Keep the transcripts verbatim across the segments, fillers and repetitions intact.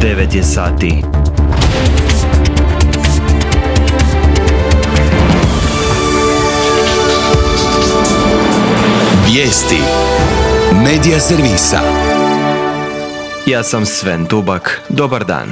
devet je sati. Vijesti Medija servisa. Ja sam Sven Dubak. Dobar dan.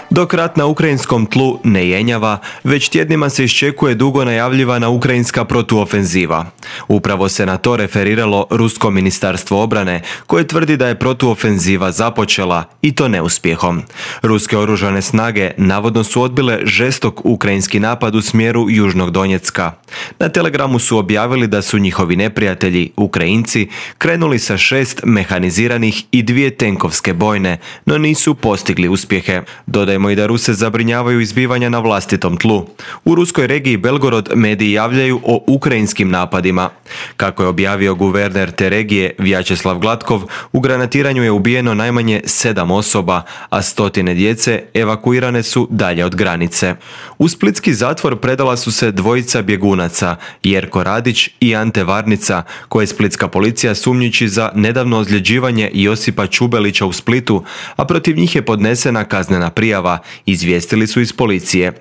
Dok rat na ukrajinskom tlu ne jenjava, već tjednima se iščekuje dugo najavljivana ukrajinska protuofenziva. Upravo se na to referiralo Rusko ministarstvo obrane, koje tvrdi da je protuofenziva započela, i to neuspjehom. Ruske oružane snage navodno su odbile žestok ukrajinski napad u smjeru Južnog Donjecka. Na Telegramu su objavili da su njihovi neprijatelji, Ukrajinci, krenuli sa šest mehaniziranih i dvije tenkovske bojne, no nisu postigli uspjehe. Dodajmo i da Ruse zabrinjavaju izbivanja na vlastitom tlu. U ruskoj regiji Belgorod mediji javljaju o ukrajinskim napadima. Kako je objavio guverner te regije Vjačeslav Glatkov, u granatiranju je ubijeno najmanje sedam osoba, a stotine djece evakuirane su dalje od granice. U splitski zatvor predala su se dvojica bjegunaca, Jerko Radić i Ante Varnica, koje splitska policija sumnjiči za nedavno ozljeđivanje Josipa Čubelića u Splitu, a protiv njih je podnesena kaznena prijava, izvijestili su iz policije.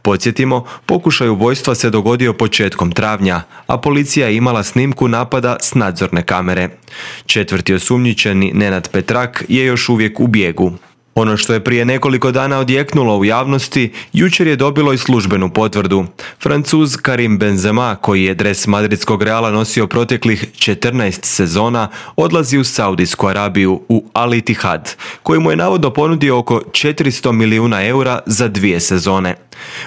Podsjetimo, pokušaj ubojstva se dogodio početkom travnja, a policija je imala snimku napada s nadzorne kamere. Četvrti osumnjičeni, Nenad Petrak, je još uvijek u bijegu. Ono što je prije nekoliko dana odjeknulo u javnosti, jučer je dobilo i službenu potvrdu. Francuz Karim Benzema, koji je dres madridskog Reala nosio proteklih četrnaest sezona, odlazi u Saudijsku Arabiju u Al Ittihad, koji mu je navodno ponudio oko četiristo milijuna eura za dvije sezone.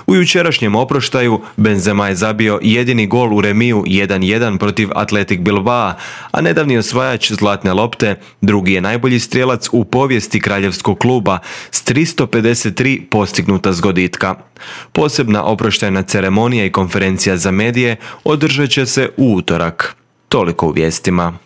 U jučerašnjem oproštaju Benzema je zabio jedini gol u remiju jedan jedan protiv Athletic Bilbao, a nedavni osvajač zlatne lopte drugi je najbolji strijelac u povijesti kraljevskog kluba s tristo pedeset tri postignuta zgoditka. Posebna oproštajna ceremonija i konferencija za medije održat će se u utorak. Toliko u vijestima.